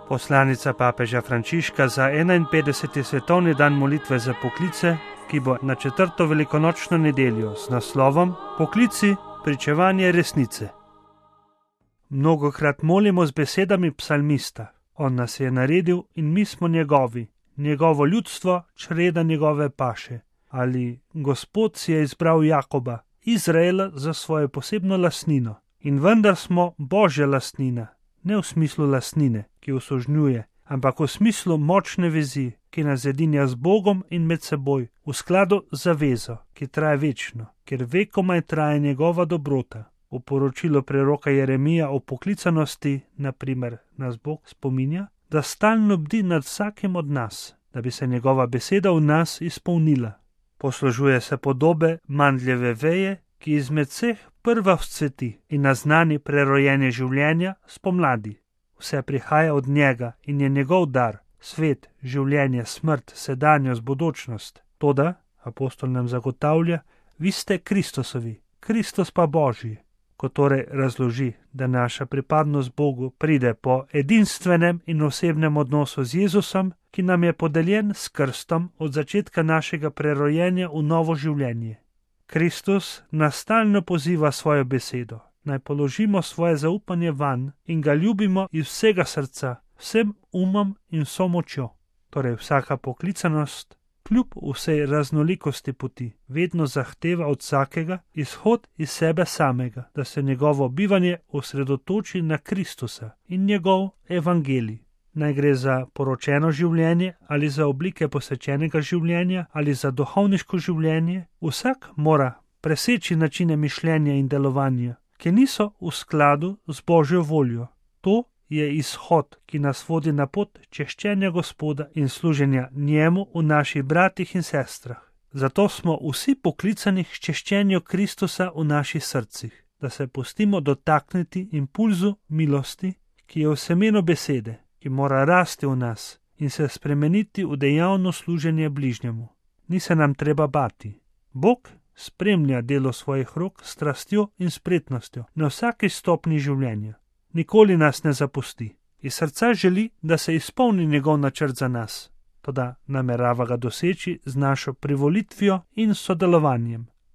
Poslanica papeža Frančiška za 51. svetovni dan molitve za poklice, ki bo na 4. velikonočno nedeljo z naslovom Poklici, pričevanje resnice. Mnogokrat molimo z besedami psalmista. On nas je naredil in mi smo njegovi, njegovo ljudstvo, čreda njegove paše. Ali Gospod si je izbral Jakoba, Izraela, za svojo posebno lastnino. In vendar smo Božja lastnina, ne v smislu lastnine, ki usožnjuje, ampak v smislu močne vezi, ki nas zedinja z Bogom in med seboj, v skladu z zavezo, ki traja večno, ker vekomaj traja njegova dobrota. V poročilu preroka Jeremija o poklicanosti, na primer, nas Bog spominja, da stalno bdi nad vsakim od nas, da bi se njegova beseda v nas izpolnila. Poslužuje se podobe mandljeve veje, ki izmed vseh prva vzcveti in naznani prerojenje življenja spomladi. Vse prihaja od njega in je njegov dar, svet, življenje, smrt, sedanjost, bodočnost. Toda, apostol nam zagotavlja, vi ste Kristusovi, Kristus pa Božji. Ko torej razloži, da naša pripadnost Bogu pride po edinstvenem in osebnem odnosu z Jezusom, ki nam je podeljen s krstom od začetka našega prerojenja v novo življenje. Kristus nas stalno poziva svojo besedo, naj položimo svoje zaupanje vanj in ga ljubimo iz vsega srca, vsem umom in vso močjo. Torej vsaka poklicanost, kljub vsej raznolikosti poti, vedno zahteva od vsakega izhod iz sebe samega, da se njegovo bivanje osredotoči na Kristusa in njegov evangelij. Naj gre za poročeno življenje ali za oblike posvečenega življenja ali za duhovniško življenje, vsak mora preseči načine mišljenja in delovanja, ki niso v skladu z Božjo voljo. To je izhod, ki nas vodi na pot češčenja Gospoda in služenja njemu v naših bratih in sestrah. Zato smo vsi poklicani k češčenju Kristusa v naših srcih, da se pustimo dotakniti impulzu milosti, ki je v semenu besede, ki mora rasti v nas in se spremeniti v dejavno služenje bližnjemu. Ni se nam treba bati. Bog spremlja delo svojih rok s strastjo in spretnostjo na vsaki stopni življenja. Nikoli nas ne zapusti. Iz srca želi, da se izpolni njegov načrt za nas, toda namerava ga doseči z našo privolitvijo in sodelovanjem.